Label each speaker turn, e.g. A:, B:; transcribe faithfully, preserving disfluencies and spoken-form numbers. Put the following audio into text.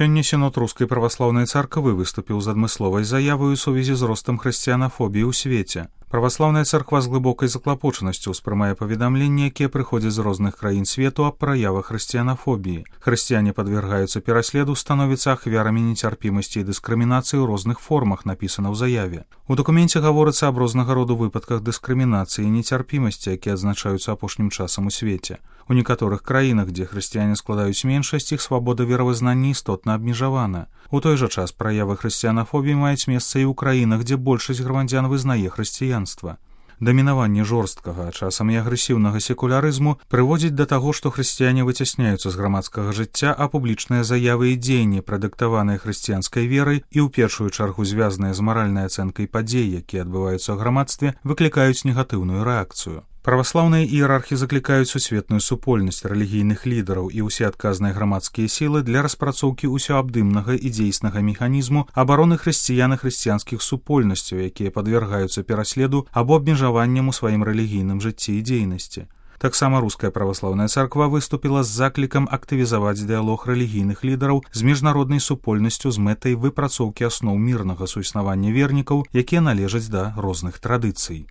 A: Сёння сінод рускай праваслаўнай царквы выступіў з адмысловай заявай у сувязі з ростам хрысціянафобіі ў свеце. Праваслаўная царква з глыбокай заклапочанасцю ўспрымае паведамленні, якія прыходзяць з розных краін свету аб праявах хрысціянафобіі. Хрысціяне падвяргаюцца пераследу, становяцца ахвярамі нецярпімасці і дыскрымінацыі ў розных формах, напісана ў заяве. У дакуменце гаворыцца аб рознага роду выпадках дыскрымінацыі і нецярпімасці, якія адзначаюцца апошнім часам у свеце. У некаторых краінах, дзе хрысціяне складаюць меншасць, іх свабода веравызнання істотна абмежавана. У той жа час праявы хрысціянафобіі маюць месца і ў краінах, дзе большасць грамадзян вызнае хрысціянства. Дамінаванне жорсткага, а часам і агрэсіўнага секулярызму прыводзіць да таго, што хрысціяне выцясняюцца з грамадскага жыцця, а публічныя заявы і дзеянні, прадыктаваныя хрысціянскай верай і ў першую чаргу звязаныя з маральнай ацэнкай падзей, якія адбываюцца ў грамадстве, выклікаюць негатыўную рэакцыю. Праваслаўныя іерархі заклікаюць сусветную супольнасць рэлігійных лідараў і ўсе адказныя грамадскія сілы для распрацоўкі ўсеабдымнага і дзейснага механізму абароны хрысціян і хрысціянскіх супольнасцяў, якія падвяргаюцца пераследу або абмежаванням у сваім рэлігійным жыцці і дзейнасці. Таксама руская праваслаўная царква выступіла з заклікам актывізаваць дыялог рэлігійных лідараў з міжнароднай супольнасцю з мэтай выпрацоўкі асноў мірнага суіснавання вернікаў, якія належаць да розных традыцый.